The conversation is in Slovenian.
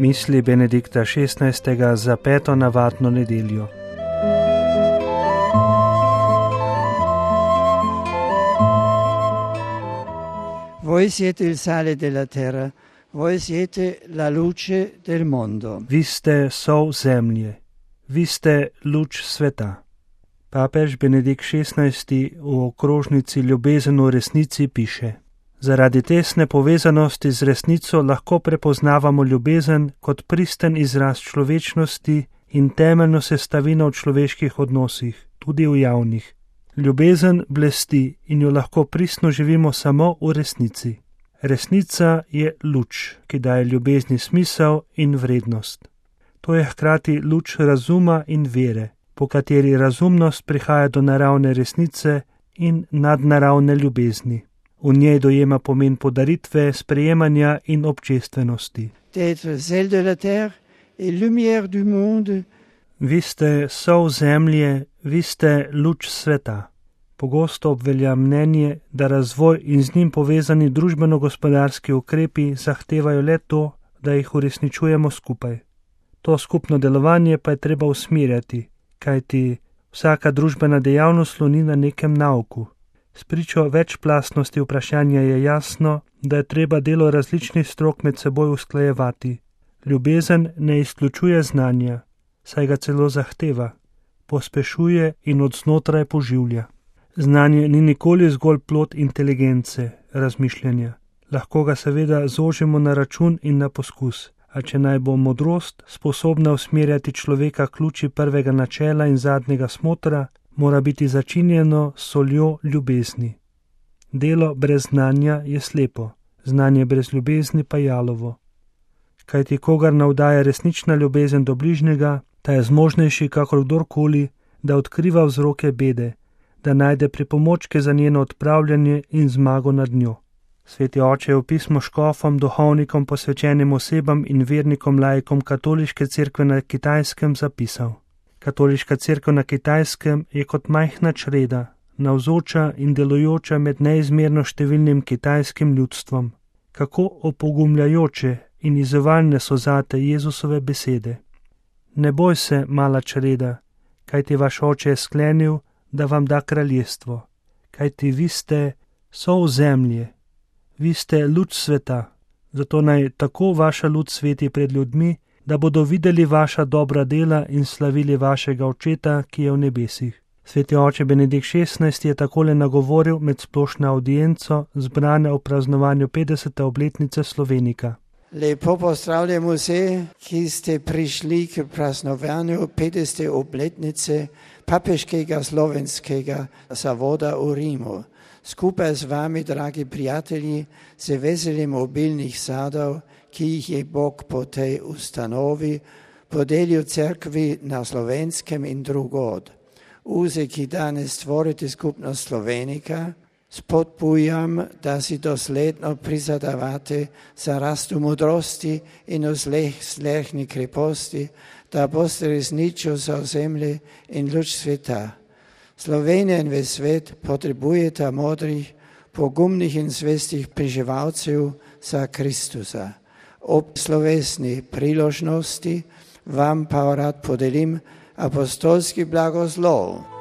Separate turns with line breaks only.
Misli Benedikta XVI. Za 5. navadno nedeljo.
Voi siete il sale della terra, voi siete la luce del mondo.
Vi ste sol zemlje, vi ste luč sveta. Papež Benedikt XVI. V okrožnici Ljubezen v resnici piše: Zaradi tesne povezanosti z resnico lahko prepoznavamo ljubezen kot pristen izraz človečnosti in temeljno sestavino v človeških odnosih, tudi v javnih. Ljubezen blesti in jo lahko pristno živimo samo v resnici. Resnica je luč, ki daje ljubezni smisel in vrednost. To je hkrati luč razuma in vere, po kateri razumnost prihaja do naravne resnice in nadnaravne ljubezni. V njej dojema pomen podaritve, sprejemanja in občestvenosti. Vi ste sol zemlje, vi ste luč sveta. Pogosto obvelja mnenje, da razvoj in z njim povezani družbeno-gospodarski ukrepi zahtevajo le to, da jih uresničujemo skupaj. To skupno delovanje pa je treba usmerjati, kajti vsaka družbena dejavnost sloni na nekem nauku. Spričo večplastnosti vprašanja je jasno, da je treba delo različnih strok med seboj usklajevati. Ljubezen ne izključuje znanja, saj ga celo zahteva, pospešuje in od znotraj poživlja. Znanje ni nikoli zgolj plod inteligence, razmišljanja. Lahko ga seveda zožimo na račun in na poskus, a če naj bo modrost sposobna usmerjati človeka k luči prvega načela in zadnjega smotra, mora biti začinjeno s soljo ljubezni. Delo brez znanja je slepo, znanje brez ljubezni pa jalovo. Kajti kogar navdaja resnična ljubezen do bližnjega, ta je zmožnejši kakor kdorkoli, da odkriva vzroke bede, da najde pripomočke za njeno odpravljanje in zmago nad njo. Sveti oče je v pismu škofom, duhovnikom, posvečenim osebam in vernikom laikom katoliške cerkve na Kitajskem zapisal: Katoliška cerkev na Kitajskem je kot majhna čreda, navzoča in delujoča med neizmerno številnim kitajskim ljudstvom. Kako opogumljajoče in izzivalne so zate Jezusove besede. Ne boj se, mala čreda, kajti vaš oče je sklenil, da vam da kraljestvo, kajti vi ste sol zemlje, vi ste luč sveta, zato naj tako vaša luč sveti pred ljudmi, da bodo videli vaša dobra dela in slavili vašega očeta, ki je v nebesih. Sveti oče Benedikt XVI. Je takole nagovoril med splošno audienco zbrane ob praznovanju 50. obletnice Slovenika.
Lepo pozdravljam vse, ki ste prišli k praznovanju 50. obletnice papeškega slovenskega zavoda v Rimu. Skupaj z vami, dragi prijatelji, se veselim obilnih sadov, ki jih je Bog po tej ustanovi podelil cerkvi na Slovenskem in drugod. Vse, ki danes tvorite skupnost Slovenika, spodbujam, da si dosledno prizadevate za rast v modrosti in v slehni kreposti, da boste resnično zauzemli in luč sveta. Slovenija in ves svet potrebujeta modrih, pogumnih in zvestih preživalcev za Kristusa. Ob slovesni priložnosti vam pa rad podelim apostolski blagoslov.